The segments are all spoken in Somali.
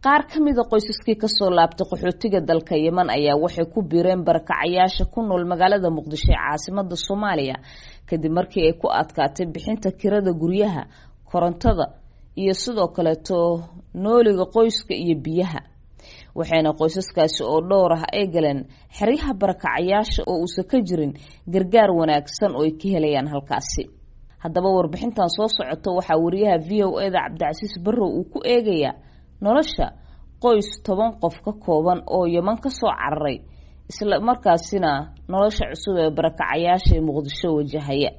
Qaar ka mida qoysaskii kasoo laabtay qaxootiga dalka Yeman ayaa waxay ku biireen barakacayaasha ku nool magaalada Muqdisho ee caasimada Soomaaliya kadib markii ay ku adkaatay bixinta kirada guryaha, korontada iyo sidoo kaleeto nooliga qoyska iyo biyaha. Waxayna qoysaskaasi oo dhowr ah ay galeen xeryaha barakacayaasha oo uusan ka jirin gargaar wanaagsan oo ay ka helayaan halkaasi. Haddaba warbixintan soo socota waxaa wariyaha VOA-da Cabdicasiis Barrow uu ku eegayaa nolosha qoys 10 qof ka kooban oo Yeman kasoo cararay, isla markaasina nolosha cusub ee barakacayaasha ee Muqdisho wajahaya.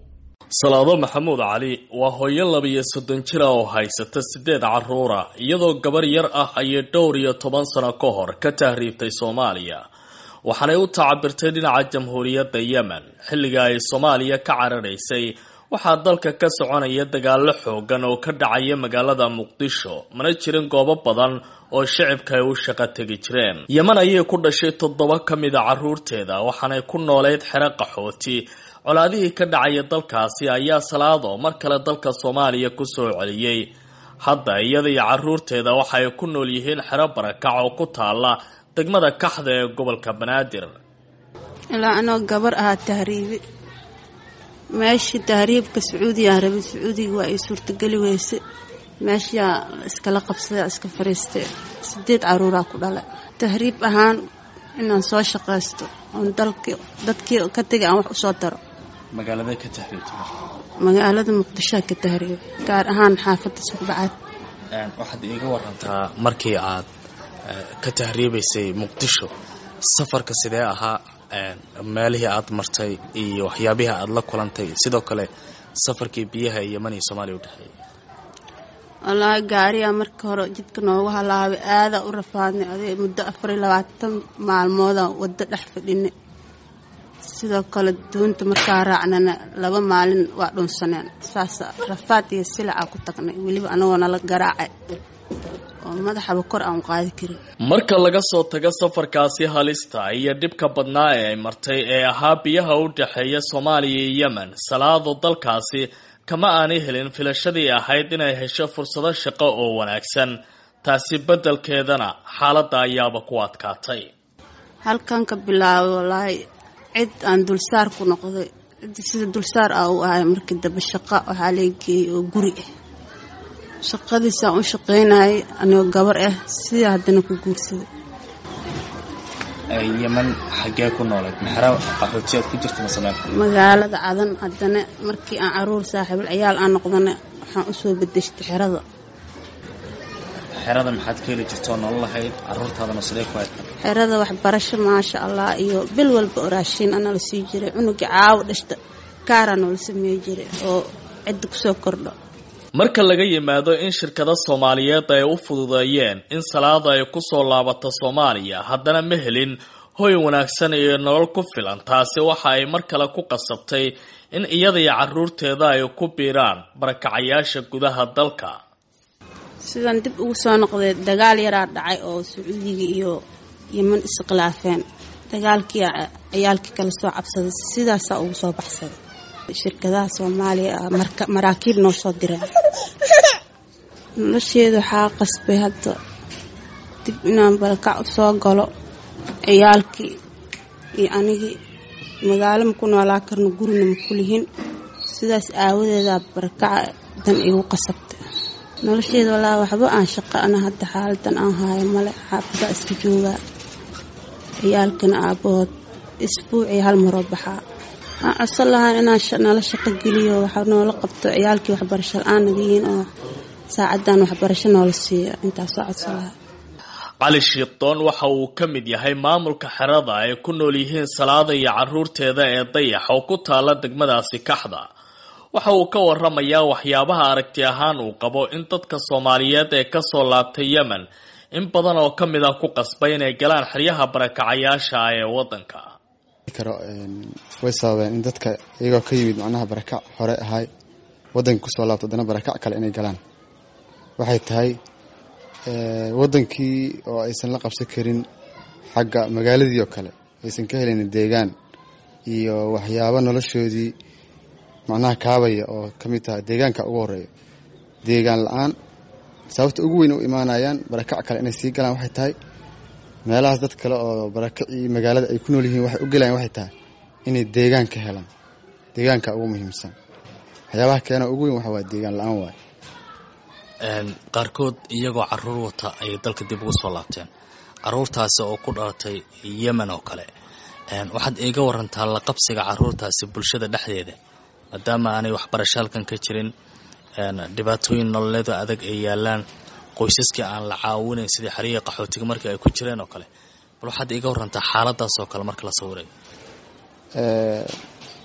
Salaado Maxamuud Cali waa hooyo 32 jir ah oo haysata 8 caruura, iyadoo gabar yar ah ayay dhowr iyo toban sano ka hor ka tahriibtay Soomaaliya, waxaanay u tacabirtay dhinaca Jamhuuriyadda Yemen. Xilliga ay Soomaaliya ka cararaysay waxaa dalka ka soconaya dagaallo xoogan oo ka dhacaya magaalada Muqdisho, mana jirin goobo badan oo shicibka ay u shaqo tegi jireen. Yeman ayay ku dhashay 7 ka mid a caruurteeda, waxaanay ku nooleyd xero qaxooti. Colaadihii ka dhacaya dalkaasi ayaa Salaado mar kale dalka Soomaaliya kusoo celiyey. Hadda iyada iyo caruurteeda waxa ay ku nool yihiin xero barakac oo ku taala degmada Kaxda ee gobolka Banaadir. Ilaa anoo gabar ahaa tahriibi, meeshii tahriibka Sacuudigaan rabay, Sacuudiga waa ay suurtageli weyse. Meeshaa iskala qabsaday, iska fariistay, 8 caruuraa ku dhalay. Tahriib ahaan inaan soo shaqaysto oon dalki dadkii ka tegay aan wax usoo daro. Magaalada ka tahriibtay? Magaalada Muqdishoa ka tahriibay, gaar ahaan xaafadda Suqbacaad. Waxaad iiga warantaa markii aad ka tahriibaysay Muqdisho, safarka sidee ahaa, meelihii aad martay iyo waxyaabihii aad la kulantay, sidoo kale safarkii biyaha Yeman iyo Soomaaliya u dhexeeyay? Wallaahi gaariyaa marka hore jidka noogu halaabay, aadaa u rafaadnay aday muddo 24 maalmooda waddo dhex fadhinay. Sidoo kale doonta markaa raacnana 2 maalin waa dhunsaneen, saasa rafaad iyo silacaa ku tagnay, weliba anagoo nala garaacay oo madaxaba kor aan u qaadi karin. Marka laga soo tago safarkaasi halista iyo dhibka badnaa ee ay martay ee ahaa biyaha u dhexeeya Soomaaliya iyo Yemen, Salaado dalkaasi kama aanay helin filashadii ahayd inay hesho fursado shaqo oo wanaagsan. Taasi beddelkeedana xaaladda ayaaba ku adkaatay. Halkan ka bilaabay wallaahi cid aan dulsaar ku noqday, cid sida dulsaar ah u ahay. Markii dambe shaqo waxaa laga geeyey oo guri ah, shaqadiisaan u shaqaynayay anigoo gabar ah, sidaa haddana ku guursaday. Yeman xaggee ku nooleed? Maxera qaxootiyaad ku jirta mase meel? Magaalada Cadan. Haddana markii aan caruur saaxiibul ciyaal aan noqdana waxaan usoo bedeshtay xerada. Xerada maxaad ka heli jirta oo nolol lahayd, caruurtaadana sidee ku hayd? Xerada waxbarasho maasha Allah, iyo bil walba oo raashiin ana la sii jiray. Cunuga caawo dhashta kaaraa noola sameey jiray oo cidda kusoo kordho. Marka laga yimaado in shirkado Soomaaliyeed ay u fududeeyeen in Salaada ay kusoo laabato Soomaaliya, haddana ma helin hoy wanaagsan iyo nolol ku filan. Taasi waxa ay mar kale ku qasabtay in iyada iyo caruurteeda ay ku biiraan barakacayaasha gudaha dalka. Sidaan dib ugu soo noqday, dagaal yaraa dhacay oo Sacuudiga iyo Yeman iskhilaafeen. Dagaalkii ciyaalkii kala soo cabsaday, sidaasaa ugu soo baxsaday. Shirkadaha Soomaaliya maraakiib noo soo direen. Nolosheeda waxaa qasbay hadda dib inaan barakac usoo galo. Ciyaalkii iyo anigii magaalo ma ku noolaa karno, gurina ma kulihin, sidaas aawadeedaa barakaca dan igu qasabtay. Nolosheeda wallaahi waxba aan shaqo ana hadda xaaladan aan haayo male, xaafadaa iska joogaa. Ciyaalkana aabahood isbuucii hal maroo baxaa. Waxaan codsan lahaa inaan nala shaqo geliyo, waxa noola qabto, ciyaalkii waxbarasho la-aan naga yihiin oo saacadan waxbarasho noola siiyo, intaasoo codsan lahaa. Cali Shiiqdoon waxa uu ka mid yahay maamulka xerada ay ku nool yihiin Salaada iyo caruurteeda ee Dayax oo ku taala degmadaasi Kaxda. Waxa uu ka waramayaa waxyaabaha aragti ahaan uu qabo in dadka Soomaaliyeed ee kasoo laabtay Yemen in badan oo ka mid ah ku qasbay inay galaan xeryaha barakacayaasha ah ee waddanka. Karo way sababeen in dadka iyagoo ka yimid macnaha barakac hore ahay waddanka kusoo laabto haddana barakac kale inay galaan. Waxay tahay waddankii oo aysan la qabsan karin, xagga magaaladii oo kale aysan ka helin deegaan iyo waxyaabo noloshoodii macnaha kaabaya oo ka mid tahay deegaanka ugu horeeya, deegaan la-aan. Sababta ugu weyn u imaanayaan barakac kale inay sii galaan waxay tahay meelahaas dad kale oo barakacii magaalada ay ku nool yihiin waxay u gelayaan waxay tahay inay deegaan ka helaan. Deegaanka ugu muhiimsan waxyaabaha keena ugu weyn waxa waa deegaan la-aan waay. Qaarkood iyagoo caruur wata ayay dalka dib ugu soo laabteen, caruurtaasi oo ku dhalatay Yemen oo kale. Waxaad iiga warantaa la qabsiga caruurtaasi bulshada dhexdeeda, maadaama aanay waxbarasho halkan ka jirin, dhibaatooyin nololeeda adag ay yaalaan, qoysaskii aan la caawinayn sidii xerihii qaxootiga markii ay ku jireen oo kale. Bal waxaad iiga warantaa xaaladaas oo kale marka la sawirayo.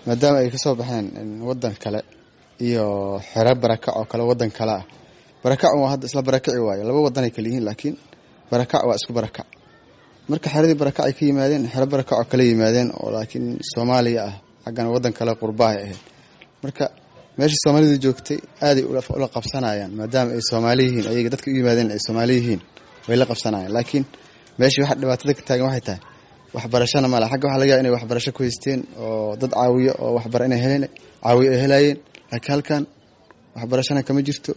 Maadaama ay kasoo baxeen wadan kale iyo xero barakac oo kale wadan kale ah, barakac waa hadda isla barakaci waayo, laba wadanay kala yihiin, laakiin barakac waa isku barakac. Marka xeradii barakac ay ka yimaadeen, xero barakac oo kale yimaadeen oo laakiin Soomaaliya ah, xaggana wadan kale qurbaha ahayd. Marka meeshii Soomaalidu joogtay aaday ula qabsanayaan, maadaama ay Soomaali yihiin, ayaga dadka u yimaadeen ay Soomaali yihiin, way la qabsanayaan. Laakiin meeshii waxa dhibaatada ka taagan waxay tahay waxbarashana male. Xagga waxa laga yaaba inay waxbarasho ku haysteen oo dad caawiyo oo waxbara inay heleen caawiyo ay helayeen, laakiin halkan waxbarashana kama jirto,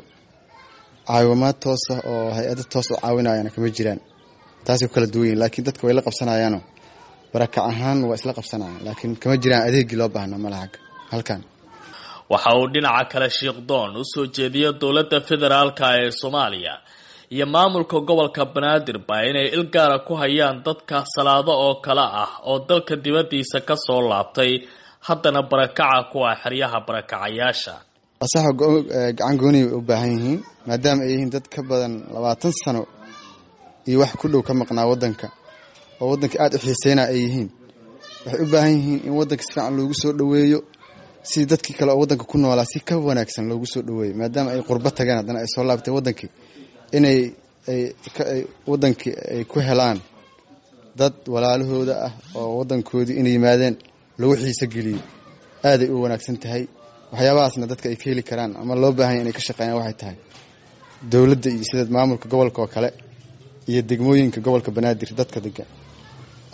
caawimaad toosa oo hay-ado toos u caawinayana kama jiraan. Taasay ku kala duwan yihin, laakiin dadka way la qabsanayaanoo barakac ahaan waa isla qabsanayaan, laakiin kama jiraan adeegii loo baahnaa male xagga halkan. Waxa uu dhinaca kale Shiikhdoon usoo jeediya dowladda federaalka ee Soomaaliya iyo maamulka gobolka Banaadir ba inay ilgaara ku hayaan dadka Salaado oo kale ah oo dalka dibaddiisa ka soo laabtay, haddana barakaca kuwa xeryaha barakacayaasha. Asaxa gacan gooni u baahan yihiin, maadaama ay yihiin dad ka badan 20 sano iyo wax ku dhow ka maqnaa wadanka, oo wadanka aada u xiiseynaa ay yihiin. Waxay u baahan yihiin in wadanka si fiican loogu soo dhoweeyo, si dadkii kale oo wadanka ku noolaa si ka wanaagsan loogu soo dhoweeyo, maadaama ay qurbo tageen haddana ay soo laabtay wadankii, inay ay wadankii ay ku helaan dad walaalahooda ah oo wadankoodii inay yimaadeen lagu xiiso geliyo. Aaday u wanaagsan tahay waxyaabahaasna dadka ay ka heli karaan ama loo baahanya inay ka shaqeeyaan waxay tahay dowladda iyo sida maamulka gobolka oo kale iyo degmooyinka gobolka Banaadir dadka degan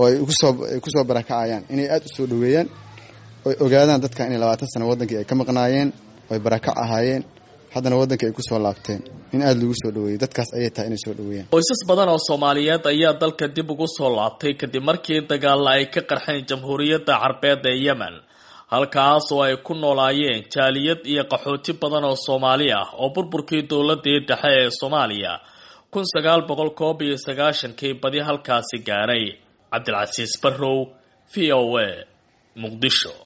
oo ay ay kusoo barakacayaan inay aada u soo dhoweeyaan, oy ogaadaan dadka inay 20 sano wadankii ay ka maqnaayeen, oy barakac ahaayeen, haddana wadankii ay kusoo laabteen, in aada lagu soo dhoweeyo dadkaas ayay tahay inay soo dhoweeyaan. Qoysas badan oo Soomaaliyeed ayaa dalka dib ugu soo laabtay kadib markii dagaalla ay ka qarxeen Jamhuuriyadda Carbeed ee Yemen, halkaas oo ay ku noolaayeen jaaliyad iyo qaxooti badan oo Soomaali ah oo burburkii dowladii dhexe ee Soomaaliya 1991kii badi halkaasi gaaray. Cabdilcasiis Barrow, V O A, Muqdisho.